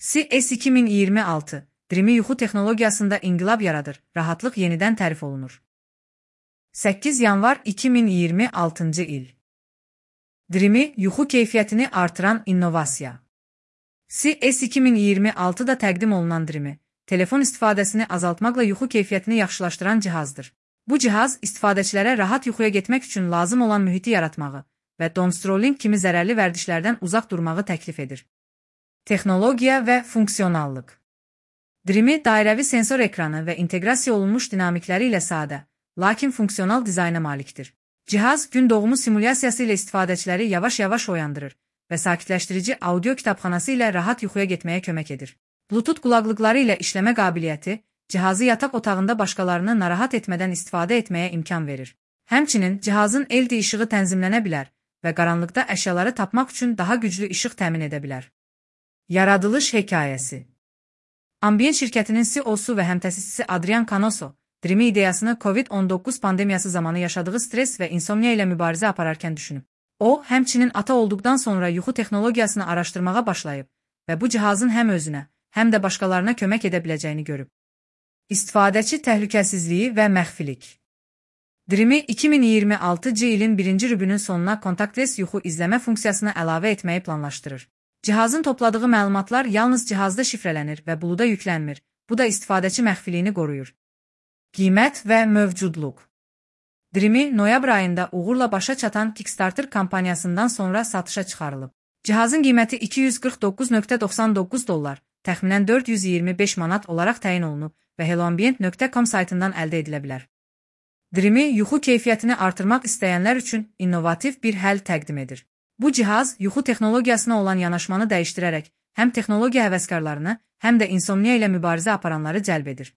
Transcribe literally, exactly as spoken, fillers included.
C S iki min iyirmi altı, Dreamy yuxu texnologiyasında inqilab yaradır, rahatlıq yenidən tərif olunur. səkkiz yanvar iki min iyirmi altıncı il. Dreamy yuxu keyfiyyətini artıran innovasiya. C S iki min iyirmi altıda təqdim olunan Dreamy, telefon istifadəsini azaltmaqla yuxu keyfiyyətini yaxşılaşdıran cihazdır. Bu cihaz istifadəçilərə rahat yuxuya getmək üçün lazım olan mühiti yaratmağı və doomscrolling kimi zərərli vərdişlərdən uzaq durmağı təklif edir. Texnologiya və funksionallıq. Dreamy dairəvi sensor ekranı və inteqrasiya olunmuş dinamikləri ilə sadə, lakin funksional dizayna malikdir. Cihaz gün doğumu simulyasiyası ilə istifadəçiləri yavaş-yavaş oyandırır və sakitləşdirici audio kitabxanası ilə rahat yuxuya getməyə kömək edir. Bluetooth qulaqlıqları ilə işləmə qabiliyyəti cihazı yataq otağında başqalarını narahat etmədən istifadə etməyə imkan verir. Həmçinin cihazın L E D işığı tənzimlənə bilər və qaranlıqda əşyaları tapmaq üçün daha güclü işıq təmin edə bilər. Yaradılış hekayəsi. Ambient şirkətinin C E O-su və həmtəsisçisi Adrian Canosso, Dreamy ideyasını COVID on doqquz pandemiyası zamanı yaşadığı stres və insomniya ilə mübarizə apararkən düşünüb. O, həmçinin ata olduqdan sonra yuxu texnologiyasını araşdırmağa başlayıb və bu cihazın həm özünə, həm də başqalarına kömək edə biləcəyini görüb. İstifadəçi təhlükəsizliyi və məxfilik. Dreamy iki min iyirmi altıncı ilin birinci rübünün sonuna kontaktless yuxu izləmə funksiyasını əlavə etməyi planlaşdırır. Cihazın topladığı məlumatlar yalnız cihazda şifrələnir və buluda yüklənmir. Bu da istifadəçi məxfiliyini qoruyur. Qiymət və mövcudluq. Dreamy noyabr ayında uğurla başa çatan Kickstarter kampaniyasından sonra satışa çıxarılıb. Cihazın qiyməti iki yüz qırx doqquz nöqtə doxsan doqquz dollar, təxminən dörd yüz iyirmi beş manat olaraq təyin olunub və helloambient nöqtə com saytından əldə edilə bilər. Dreamy yuxu keyfiyyətini artırmaq istəyənlər üçün innovativ bir həll təqdim edir. Bu cihaz yuxu texnologiyasına olan yanaşmanı dəyişdirərək həm texnologiya həvəskarlarını, həm də insomniya ilə mübarizə aparanları cəlb edir.